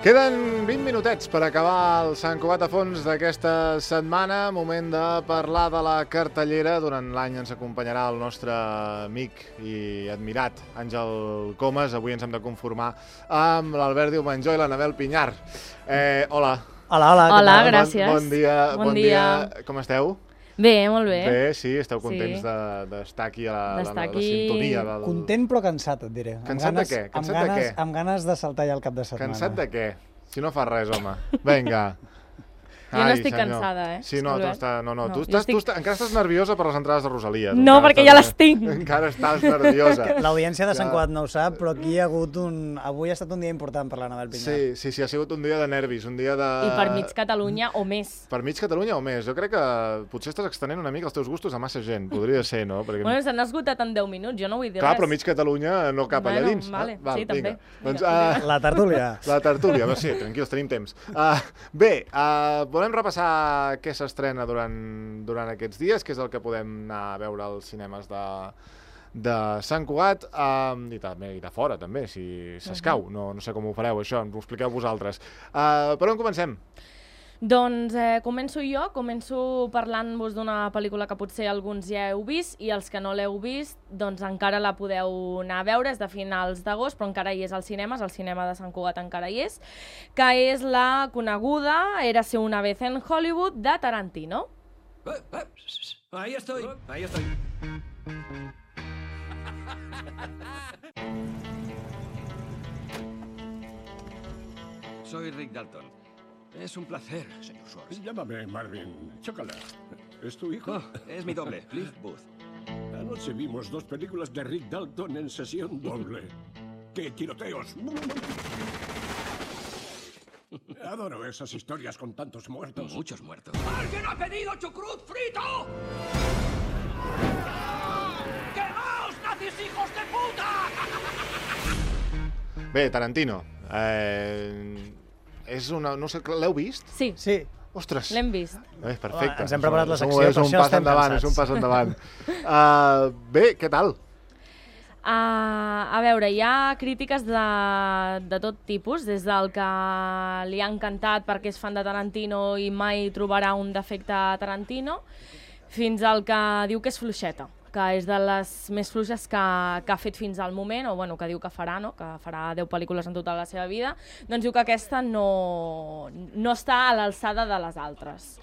Queden 20 minutets per acabar el Sant Cugat a fons d'aquesta setmana. Moment de parlar de la cartellera. Durant l'any ens acompanyarà el nostre amic i admirat Àngel Comas. Avui ens hem de conformar amb l'Albert Diumenjó i l'Anabel Pinyar. Hola. Hola, gràcies. Bon dia. Com esteu? Bé, molt bé. Bé, sí, esteu contents d'estar aquí a la sintonia. Content però cansat, et diré. Cansat de què? Amb ganes de saltar ja el cap de setmana. Cansat de què? Si no fas res, home. Vinga. Jo no estic cansada, eh? Sí, no, tu encara estàs nerviosa per les entrades de Rosalia. No, perquè ja les tinc. Encara estàs nerviosa. L'audiència de Sant Cugat no ho sap, però aquí hi ha hagut avui ha estat un dia important per l'Anabel Pinyar. Sí, ha sigut un dia de nervis, un dia de... I per mig Catalunya o més. Per mig Catalunya o més. Jo crec que potser estàs extenent una mica els teus gustos a massa gent. Podria ser, no? Bueno, s'han esgotat en 10 minuts, jo no vull dir res. Clar, però mig Catalunya no cap allà dins. Vale, sí, també. La tertúlia. La tertúlia, sí, tranquils, tenim temps. Bé, volem repassar què s'estrena durant aquests dies, que és el que podem anar a veure als cinemes de Sant Cugat i de fora, també, si s'escau. No sé com ho fareu, això, ens ho expliqueu vosaltres. Per on comencem? Doncs començo parlant-vos d'una pel·lícula que potser alguns ja heu vist i els que no l'heu vist doncs encara la podeu anar a veure, és de finals d'agost però encara hi és als cinemes, el cinema de Sant Cugat encara hi és, que és la coneguda Érase una vez en Hollywood de Tarantino. Ahí estoy. Soy Rick Dalton. Es un placer, señor Schwartz. Llámame Marvin. Chócala. ¿Es tu hijo? Es mi doble, Cliff Booth. Anoche vimos 2 películas de Rick Dalton en sesión doble. ¡Qué tiroteos! Adoro esas historias con tantos muertos. Muchos muertos. ¿Alguien ha pedido chucrut frito? ¡Quemaos, nazis hijos de puta! Bé, Tarantino. És una... No sé, l'heu vist? Sí. Ostres. L'hem vist. Perfecte. Ens hem preparat la secció, és un pas endavant. Bé, què tal? A veure, hi ha crítiques de tot tipus, des del que li ha encantat perquè és fan de Tarantino i mai trobarà un defecte a Tarantino, fins al que diu que és fluixeta, que és de les més fluixes que ha fet fins al moment, o bueno, que diu que farà, no? Que farà 10 pel·lícules en tota la seva vida, doncs diu que aquesta no està a l'alçada de les altres.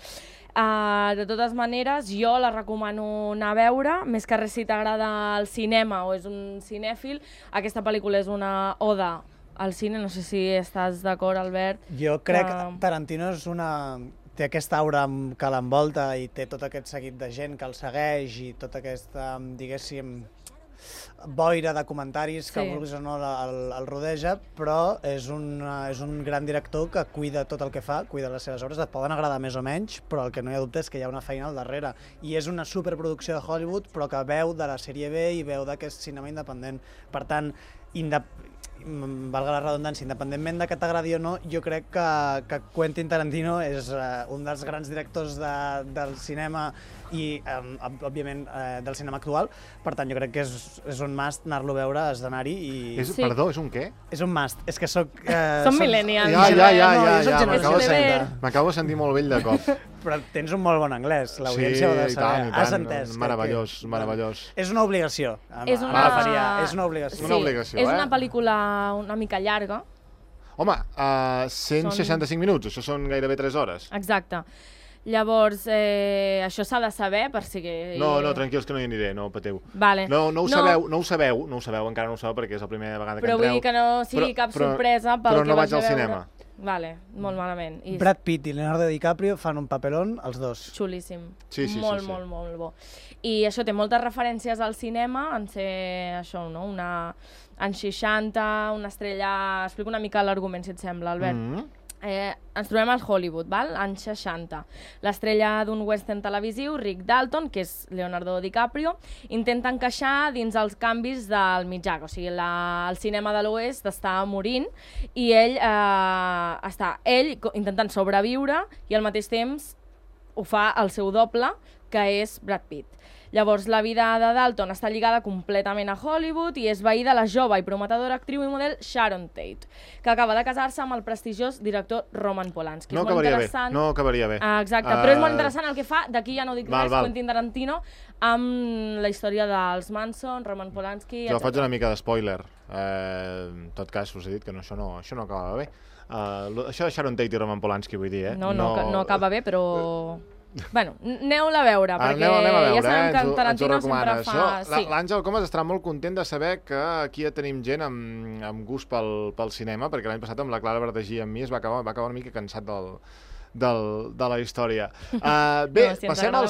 De totes maneres, jo la recomano anar a veure, més que res si t'agrada el cinema o és un cinèfil, aquesta pel·lícula és una oda al cine, no sé si estàs d'acord, Albert. Jo crec que Tarantino té aquesta aura que l'envolta i té tot aquest seguit de gent que el segueix i tota aquesta, diguéssim, boira de comentaris que vulguis o no el rodeja, però és un gran director que cuida tot el que fa, cuida les seves obres, et poden agradar més o menys, però el que no hi ha dubte és que hi ha una feina al darrere. I és una superproducció de Hollywood, però que veu de la sèrie B i veu d'aquest cinema independent. Per tant, valga la redundància, independentment de que t'agradi o no, jo crec que Quentin Tarantino és un dels grans directors del cinema i, òbviament, del cinema actual. Per tant, jo crec que és un must anar-lo a veure, has d'anar-hi i... Perdó, és un què? És un must. És que soc... Som millennials. Ja, m'acabo de sentir molt vell de cop. Però tens un molt bon anglès, l'audiència ho ha de saber. Has entès. Meravellós. És una obligació. És una obligació. És una pel·lícula una mica llarga. Home, 165 minuts, això són gairebé 3 hores. Exacte. Llavors, això s'ha de saber per si... No, tranquils que no hi aniré, no pateu. Vale. No ho sabeu, encara no ho sabeu perquè és la primera vegada que entreu. Però vull dir que no sigui cap sorpresa pel que vaig a veure. Però no vaig al cinema. Vale, molt malament. Brad Pitt i Leonardo DiCaprio fan un papelón, els dos. Xulíssim. Sí. Molt bo. I això té moltes referències al cinema, en ser això, no? Anys 60, una estrella... Explico una mica l'argument, si et sembla, Albert. Ens trobem al Hollywood, val? Anys 60. L'estrella d'un western televisiu, Rick Dalton, que és Leonardo DiCaprio, intenta encaixar dins els canvis del mitjà, o sigui, el cinema de l'oest està morint i ell està intentant sobreviure i al mateix temps ho fa el seu doble, que és Brad Pitt. Llavors, la vida de Dalton està lligada completament a Hollywood i és veí de la jove i prometedora actriu i model Sharon Tate, que acaba de casar-se amb el prestigiós director Roman Polanski. No acabaria bé. Exacte, però és molt interessant el que fa, d'aquí ja no dic res, Quentin Tarantino, amb la història dels Manson, Roman Polanski, etc. Jo faig una mica de spoiler. En tot cas, us he dit que això no acabava bé. Això de Sharon Tate i Roman Polanski, vull dir, No acaba bé, però... Bueno, aneu-la a veure, perquè ja sabem que Tarantino sempre fa... L'Àngel Comas estarà molt content de saber que aquí ja tenim gent amb gust pel cinema, perquè l'any passat amb la Clara Verdagí i amb mi es va acabar una mica cansat de la història. Bé, passem al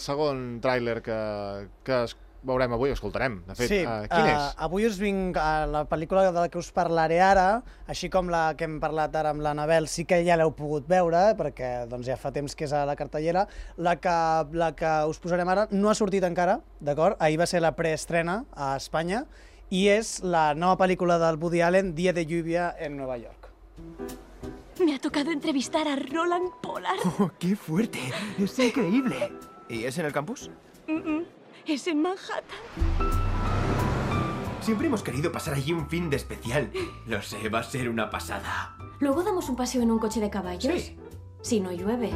segon tràiler que veurem avui, escoltarem. De fet, quin és? Avui us vinc a la pel·lícula de la que us parlaré ara, així com la que hem parlat ara amb l'Anabel, sí que ja l'heu pogut veure, perquè ja fa temps que és a la cartellera. La que us posarem ara no ha sortit encara, d'acord? Ahir va ser la preestrena a Espanya, i és la nova pel·lícula del Woody Allen, Día de lluvia en Nueva York. Me ha tocado entrevistar a Roland Pollard. ¡Oh, qué fuerte! ¡Es increíble! ¿Y es en el campus? Es en Manhattan. Siempre hemos querido pasar allí un fin de especial. Lo sé, va a ser una pasada. ¿Luego damos un paseo en un coche de caballos? Sí. Si no llueve.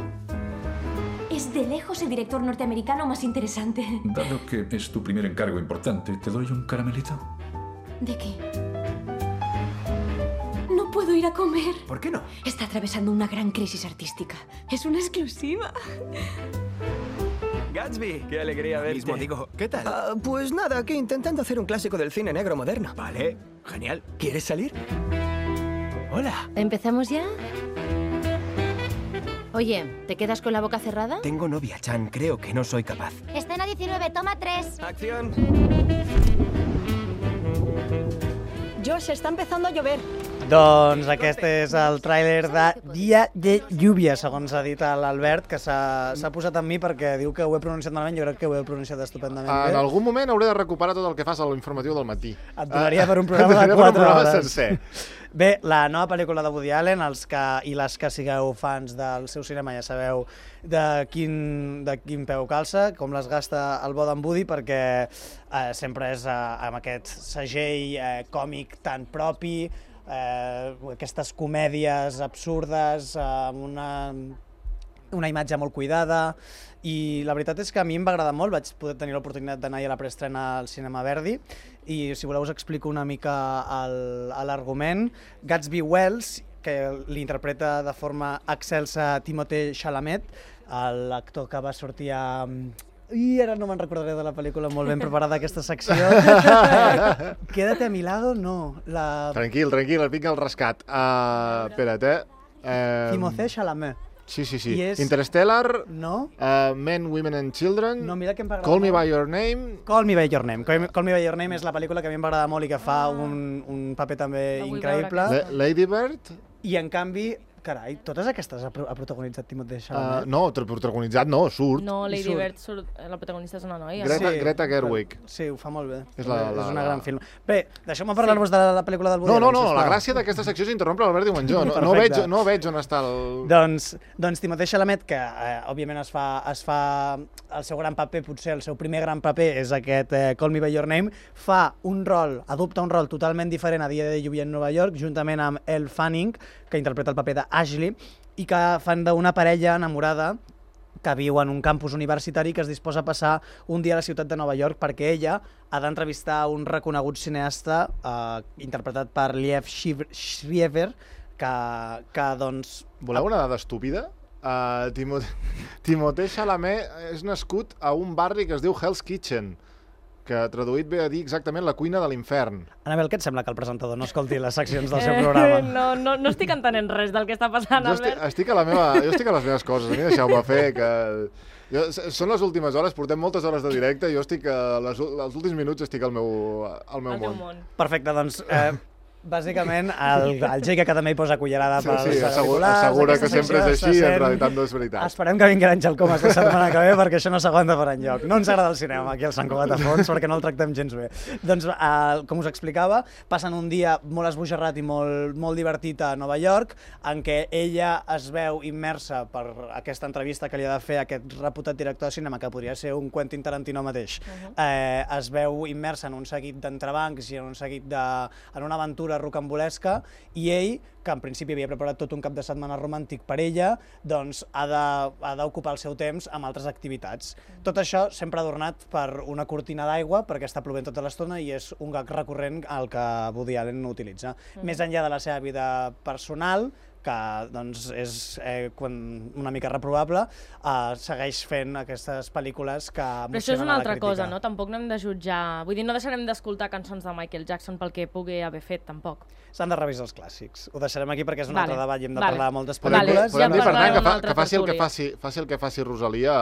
Es de lejos el director norteamericano más interesante. Dado que es tu primer encargo importante, ¿te doy un caramelito? ¿De qué? No puedo ir a comer. ¿Por qué no? Está atravesando una gran crisis artística. Es una exclusiva. Gatsby, qué alegría verte. Mismo digo, ¿qué tal? Pues nada, aquí intentando hacer un clásico del cine negro moderno. Vale, genial. ¿Quieres salir? Hola. ¿Empezamos ya? Oye, ¿te quedas con la boca cerrada? Tengo novia, Chan. Creo que no soy capaz. Escena 19, toma 3. ¡Acción! Josh, està empezando a llover. Doncs aquest és el tràiler de Dia de lluvia, segons ha dit l'Albert, que s'ha posat amb mi perquè diu que ho he pronunciat malament. Jo crec que ho he pronunciat estupendament bé. En algun moment hauré de recuperar tot el que fas a l'informatiu del matí. Et donaria per un programa de 4 hores. Sencer. Bé, la nova pel·lícula de Woody Allen, els i les que sigueu fans del seu cinema ja sabeu de quin peu calça, com les gasta el bo d'en Woody, perquè sempre és amb aquest segell còmic tan propi, aquestes comèdies absurdes, amb una imatge molt cuidada, i la veritat és que a mi em va agradar molt. Vaig poder tenir l'oportunitat d'anar a la preestrena al Cinema Verdi, i si voleu us explico una mica l'argument. Gatsby Wells, que l'interpreta de forma excelsa Timothée Chalamet, l'actor que va sortir a... I ara no me'n recordaré de la pel·lícula, molt ben preparada aquesta secció. Quédate a mi lado, no. Tranquil, et vinc al rescat. Espera't, Timothée Chalamet. Sí. Interstellar, no. Men, Women and Children, no, mira que em va agradar Call Me By Your Name. Call Me By Your Name. Call Me By Your Name és la pel·lícula que a mi em va agradar molt i que fa un paper també increïble. Lady Bird. I en canvi, carai, totes aquestes ha protagonitzat Timothée Chalamet? No, protagonitzat no, surt. No, Lady Bird, la protagonista és una noia. Greta Gerwig. Sí, ho fa molt bé. És una gran film. Bé, deixeu-me parlar-vos de la pel·lícula del Woody Allen. No, la gràcia d'aquesta secció és interrompre l'Albert Diumengó. No veig on està el... Doncs Timothée Chalamet, que òbviament es fa el seu gran paper, potser el seu primer gran paper és aquest Call Me By Your Name, adopta un rol totalment diferent a Dia de lluvia en Nova York, juntament amb Elle Fanning, que interpreta el paper d'Ashley, i que fan d'una parella enamorada que viu en un campus universitari que es disposa a passar un dia a la ciutat de Nova York perquè ella ha d'entrevistar un reconegut cineasta interpretat per Liev Schreiber, que doncs... Voleu una dada estúpida? Timothée Chalamet és nascut a un barri que es diu Hell's Kitchen, que traduït ve a dir exactament la cuina de l'infern. Anabel, què et sembla que el presentador no escolti les seccions del seu programa? No estic entenent res del que està passant, Albert. Jo estic a les meves coses, a mi deixeu-me fer, que... Són les últimes hores, portem moltes hores de directe, jo estic, els últims minuts estic al meu món. Perfecte, doncs... Bàsicament, el Jake que també hi posa cullerada per Sí, assegura que sempre és així, en realitat no és veritat. Esperem que vingui l'Àngel Comas la setmana que ve, perquè això no s'aguanta per enlloc. No ens agrada el cinema aquí al Sant Cugat a Fons, perquè no el tractem gens bé. Doncs, com us explicava, passen un dia molt esbojarrat i molt divertit a Nova York, en què ella es veu immersa per aquesta entrevista que li ha de fer aquest reputat director de cinema, que podria ser un Quentin Tarantino mateix. Es veu immersa en un seguit d'entrebancs i en una aventura rocambolesca, i ell, que en principi havia preparat tot un cap de setmana romàntic per ella, doncs ha d'ocupar el seu temps amb altres activitats. Tot això sempre adornat per una cortina d'aigua, perquè està plovent tota l'estona i és un gag recurrent al que Woody Allen utilitza. Més enllà de la seva vida personal, que doncs, és una mica reprovable, segueix fent aquestes pel·lícules que emocionen a la crítica. Però això és una altra cosa, no? Tampoc no hem de jutjar... Vull dir, no deixarem d'escoltar cançons de Michael Jackson pel que pugui haver fet, tampoc. S'han de revisar els clàssics. Ho deixarem aquí perquè és un altre debat i hem de parlar de moltes pel·lícules. Podem dir, per tant, que faci el que faci Rosalia,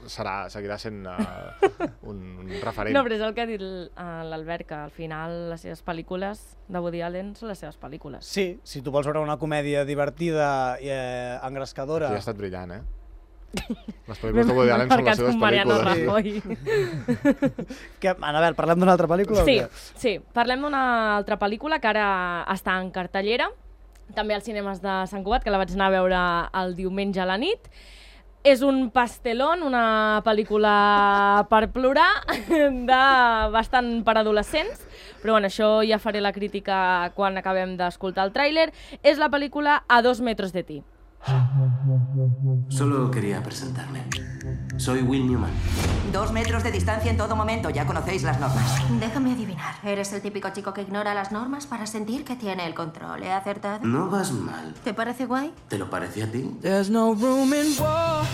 seguirà sent un referent. No, però és el que ha dit l'Albert, que al final les seves pel·lícules de Woody Allen són les seves pel·lícules. Sí, si tu vols veure una comèdia divertida i engrescadora... Sí, ha estat brillant, Les pel·lícules de Woody Allen són les seves pel·lícules. Anabel, parlem d'una altra pel·lícula? Sí, parlem d'una altra pel·lícula que ara està en cartellera, també als cinemes de Sant Cugat, que la vaig anar a veure el diumenge a la nit. És un pastelón, una pel·lícula per plorar, bastant per adolescents, però bueno, això ja faré la crítica quan acabem d'escoltar el tràiler. És la pel·lícula A 2 metros de ti. Solo quería presentarme. Soy Will Newman. 2 metros de distancia en todo momento, ya conocéis las normas. Déjame adivinar, ¿eres el típico chico que ignora las normas para sentir que tiene el control? ¿He acertado? No vas mal. ¿Te parece guay? ¿Te lo parece a ti? There's no room in war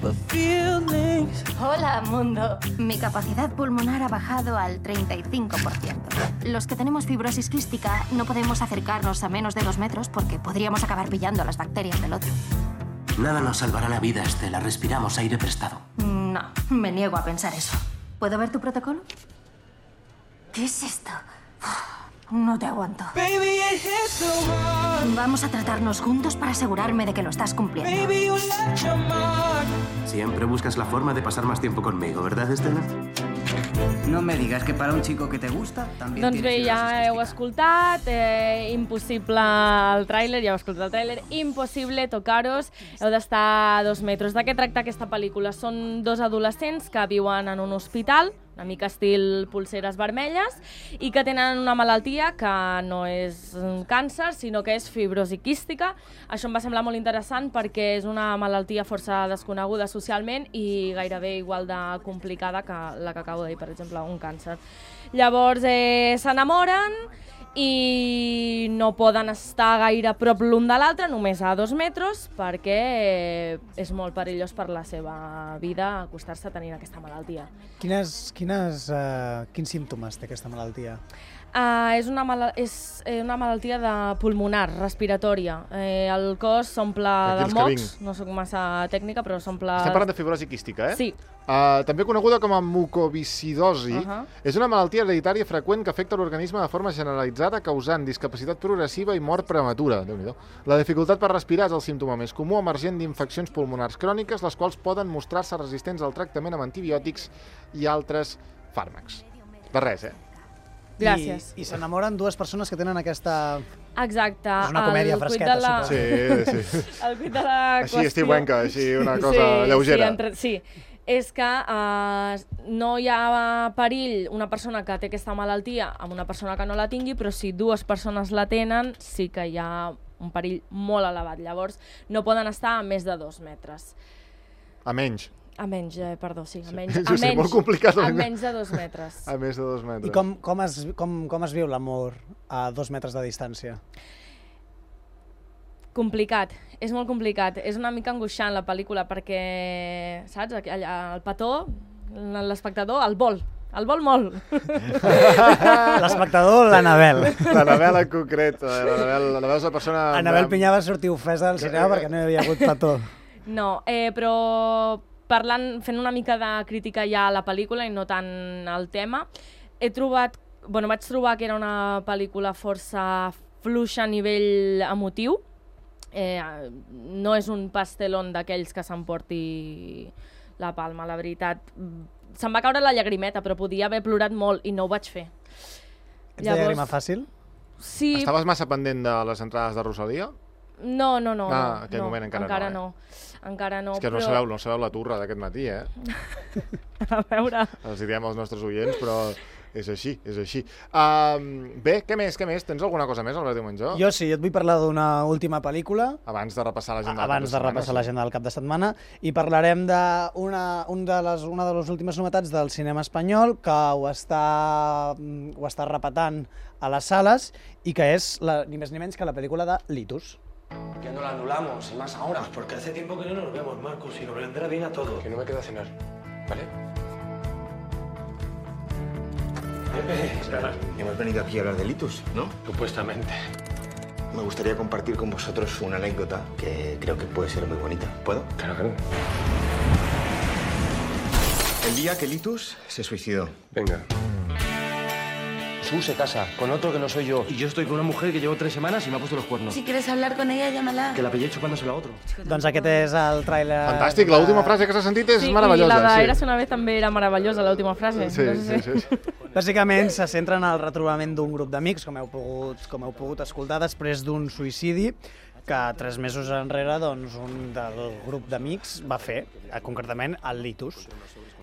for feelings. Hola, mundo. Mi capacidad pulmonar ha bajado al 35%. Los que tenemos fibrosis quística no podemos acercarnos a menos de 2 metros porque podríamos acabar pillando las bacterias del otro. Nada nos salvará la vida, Estela. Respiramos aire prestado. No, me niego a pensar eso. ¿Puedo ver tu protocolo? ¿Qué es esto? No te aguanto. Baby, it hits so hard. Vamos a tratarnos juntos para asegurarme de que lo estás cumpliendo. Baby, you left your mark. Siempre buscas la forma de pasar más tiempo conmigo, ¿verdad, Estela? No me digas que para un chico que te gusta també doncs bé, ja heu escoltat, impossible el tràiler, ja heu escoltat el tràiler, impossible tocaros, heu d'estar a 2 metres. De què tracta aquesta pel·lícula? Són 2 adolescents que viuen en un hospital, una mica estil Polseres vermelles, i que tenen una malaltia que no és un càncer, sinó que és fibrosi quística. Això em va semblar molt interessant perquè és una malaltia força desconeguda socialment i gairebé igual de complicada que la que acabo de dir, per exemple, un càncer. Llavors s'enamoren i no poden estar gaire a prop l'un de l'altre, només a 2 metres, perquè és molt perillós per la seva vida acostar-se a tenir aquesta malaltia. Quins símptomes té aquesta malaltia? És una malaltia pulmonar, respiratòria. El cos s'omple de mocs, no soc massa tècnica, però s'omple... Estem parlant de fibrosi quística, Sí. També coneguda com a mucoviscidosi, és una malaltia hereditària freqüent que afecta l'organisme de forma generalitzada, causant discapacitat progressiva i mort prematura. Déu-n'hi-do. La dificultat per respirar és el símptoma més comú emergent d'infeccions pulmonars cròniques, les quals poden mostrar-se resistents al tractament amb antibiòtics i altres fàrmacs. De res, Gràcies. I s'enamoren 2 persones que tenen aquesta... Exacte. És una comèdia fresqueta, suposo. Sí. El cuit de la qüestió... Així estiuenca, així una cosa lleugera. Sí, és que no hi ha perill una persona que té aquesta malaltia amb una persona que no la tingui, però si 2 persones la tenen sí que hi ha un perill molt elevat. Llavors no poden estar a més de 2 metres. A menys. A menys, perdó, sí. A menys de 2 metres. A més de 2 metres. I com es viu l'amor a 2 metres de distància? Complicat, és molt complicat. És una mica angoixant la pel·lícula perquè, saps, el petó, l'espectador, el vol molt. L'espectador, l'Anabel. L'Anabel en concret. L'Anabel és la persona... Anabel Pinyà va sortir ofesa del cinema perquè no hi havia hagut petó. No, però fent una mica de crítica ja a la pel·lícula i no tant al tema, he trobat vaig trobar que era una pel·lícula força fluixa a nivell emotiu. No és un pastelón d'aquells que s'emporti la palma, la veritat. Se'm va caure la llagrimeta, però podia haver plorat molt i no ho vaig fer. Ets de llàgrima fàcil? Sí. Estaves massa pendent de les entrades de Rosalia? No. Aquell moment encara no. Encara no. És que però... no sabeu la turra d'aquest matí, eh? A veure... Els hi diem als nostres oients, però és així. Bé, què més? Tens alguna cosa més, Albert Diumengó? Jo sí, et vull parlar d'una última pel·lícula. Abans de repassar l'agenda del cap de setmana. I parlarem d'una de les últimes novetats del cinema espanyol que ho està repetant a les sales i que és ni més ni menys que la pel·lícula de Litus. Que no la anulamos, y más ahora. Pues porque hace tiempo que no nos vemos, Marcos, y nos vendrá bien a todos. Que no me queda cenar, ¿vale? Pepe, hemos venido aquí a hablar de Litus, ¿no? Supuestamente. Me gustaría compartir con vosotros una anécdota que creo que puede ser muy bonita. ¿Puedo? Claro. El día que Litus se suicidó. Venga. Su se casa con otro que no soy yo. Y yo estoy con una mujer que llevo 3 semanas y me ha puesto los cuernos. Si quieres hablar con ella, llámala. Que la pillé chupándosela a otro. Doncs aquest és el tràiler... Fantàstic, l'última frase que s'ha sentit és meravellosa. Sí, i la d'Eres una vez també era meravellosa, l'última frase. Sí. Bàsicament se centra en el retrobament d'un grup d'amics, com heu pogut escoltar, després d'un suïcidi que 3 mesos enrere un del grup d'amics va fer, concretament el Litus.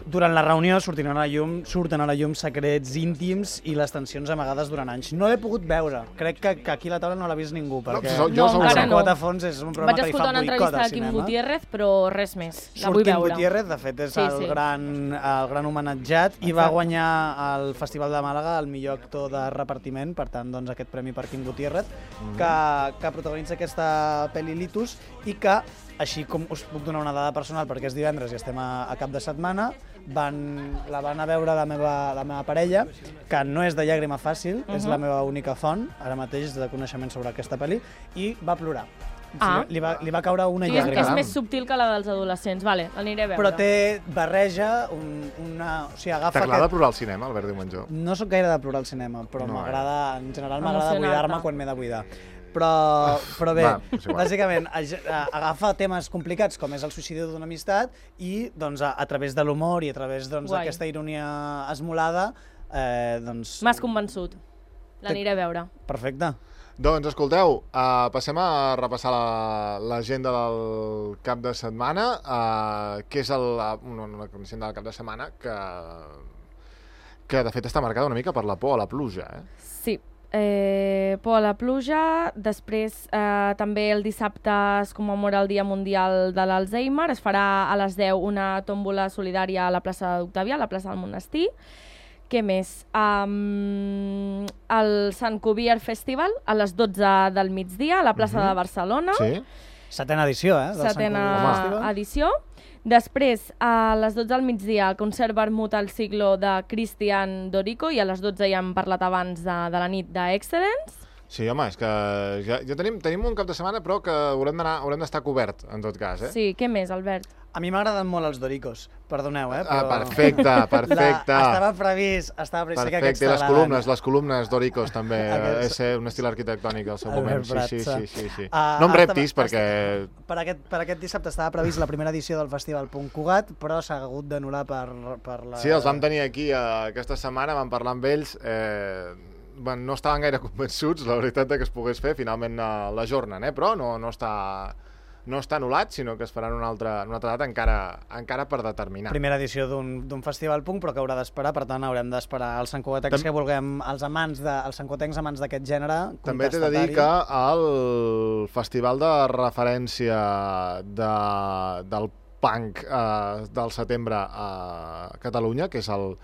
Durant la reunió surten a la llum secrets íntims i les tensions amagades durant anys. No l'he pogut veure. Crec que aquí a la taula no l'ha vist ningú, perquè el Sant a fons és un programa que li fa boicot al cinema. Vaig escoltar una entrevista a Quim Gutiérrez, però res més. La vull veure. Quim Gutiérrez, de fet, és el gran homenatjat i va guanyar al Festival de Màlaga el millor actor de repartiment, per tant, aquest premi per Quim Gutiérrez, que protagonitza aquesta pel·li Litus i que, així com us puc donar una dada personal perquè és divendres i estem a cap de setmana, la van a veure la meva parella, que no és de llàgrima fàcil, és la meva única font, ara mateix, de coneixement sobre aquesta pel·li, i va plorar. Li va caure una llàgrima. És més subtil que la dels adolescents, vale, l'aniré a veure. Però barreja T'agrada plorar al cinema, Albert Diumengó? No sóc gaire de plorar al cinema, però en general m'agrada buidar-me quan m'he de buidar. Però bé, bàsicament agafa temes complicats com és el suïcidi d'una amistat i a través de l'humor i a través d'aquesta ironia esmolada m'has convençut, l'aniré a veure. Perfecte. Doncs escolteu, passem a repassar l'agenda del cap de setmana, que és una agenda del cap de setmana que de fet està marcada una mica per la por a la pluja. Sí. Por a la pluja, després també el dissabte es commemora el Dia Mundial de l'Alzheimer, es farà a les 10 una tòmbola solidària a la plaça d'Octavià, a la plaça del Monestir. Què més? El Sant Cuvier Festival a les 12 del migdia a la plaça de Barcelona. Sí. 7a edició, Setena edició. Després, a les 12 del migdia, el concert Vermut al siglo de Christian Dorico i a les 12 ja hem parlat abans de la nit d'Excellence. Sí, home, és que ja tenim un cap de setmana, però que haurem d'estar cobert, en tot cas. Sí, què més, Albert? A mi m'agraden molt els Doricos, perdoneu, però... Perfecte. Estava previst. Perfecte, les columnes Doricos també, és un estil arquitectònic al seu moment. Sí. No em reptis, perquè... Per aquest dissabte estava previst la primera edició del Festival Punt Cugat, però s'ha hagut d'anul·lar per la... Sí, els vam tenir aquí aquesta setmana, vam parlar amb ells... no estaven gaire convençuts, la veritat, que es pogués fer, finalment l'ajornen, però no està anul·lat, sinó que es farà en una altra data encara per determinar. Primera edició d'un festival punk, però que haurà d'esperar, per tant haurem d'esperar els santcugatencs que vulguem, els santcugatencs amants d'aquest gènere. També t'he de dir que el festival de referència del punk del setembre a Catalunya, que és el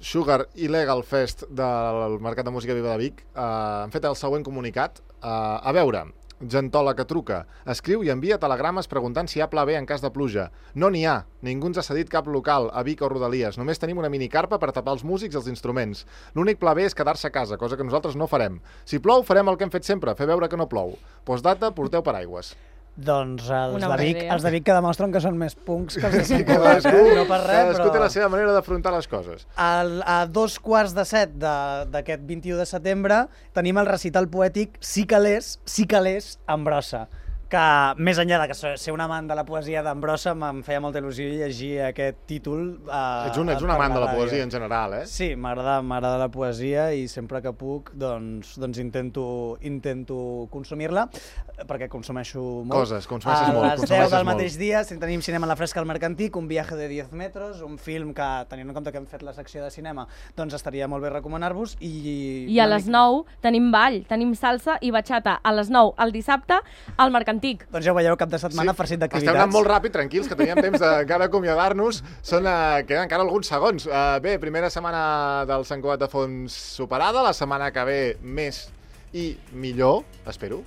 Sugar Illegal Fest del Mercat de Música Viva de Vic, han fet el següent comunicat. A veure, gentola que truca, escriu i envia telegrames preguntant si hi ha pla B en cas de pluja. No n'hi ha, ningú ens ha cedit cap local a Vic o Rodalies, només tenim una minicarpa per tapar els músics i els instruments. L'únic pla B és quedar-se a casa, cosa que nosaltres no farem. Si plou, farem el que hem fet sempre, fer veure que no plou. Postdata, porteu paraigües. Doncs els Una de Vic que demostren que són més punks que els de Sant Que Cugat, no per res, cadascú té la seva manera d'afrontar les coses. A 2:15 d'aquest 21 de setembre tenim el recital poètic Sí que l'és, en brossa, que més enllà de que ser un amant de la poesia d'Ambrossa em feia molta il·lusió llegir aquest títol. Ets un amant de la poesia en general, eh? Sí, m'agrada la poesia i sempre que puc doncs intento consumir-la, perquè consumeixo molt. Consumeixes molt. A les 10 del mateix dia tenim Cinema a la Fresca al Mercantic, Un viaje de 10 metros, un film que, tenint en compte que hem fet la secció de cinema, doncs estaria molt bé recomanar-vos. I a les 9 tenim ball, tenim salsa i batxata a les 9 el dissabte al Mercantic. Doncs ja ho veieu, cap de setmana farcit d'activitats. Estem anant molt ràpid, tranquils, que teníem temps d'encara acomiadar-nos. Queden encara alguns segons. Bé, primera setmana del Sant Cugat de Fons superada, la setmana que ve més i millor, espero.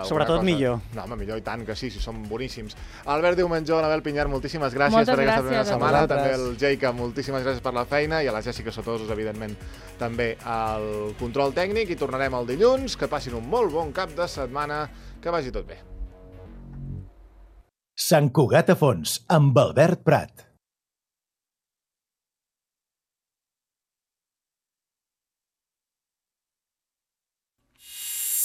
Sobretot millor. No, home, millor i tant, que sí, són boníssims. Albert Diumenjó, Anabel Pinyar, moltíssimes gràcies per aquesta primera setmana. També el Jaica, moltíssimes gràcies per la feina, i a la Jèssica Sotosos, evidentment, també al control tècnic, i tornarem el dilluns. Que passin un molt bon cap de setmana, que vagi tot bé. Sant Cugat a Fons, amb Albert Prat.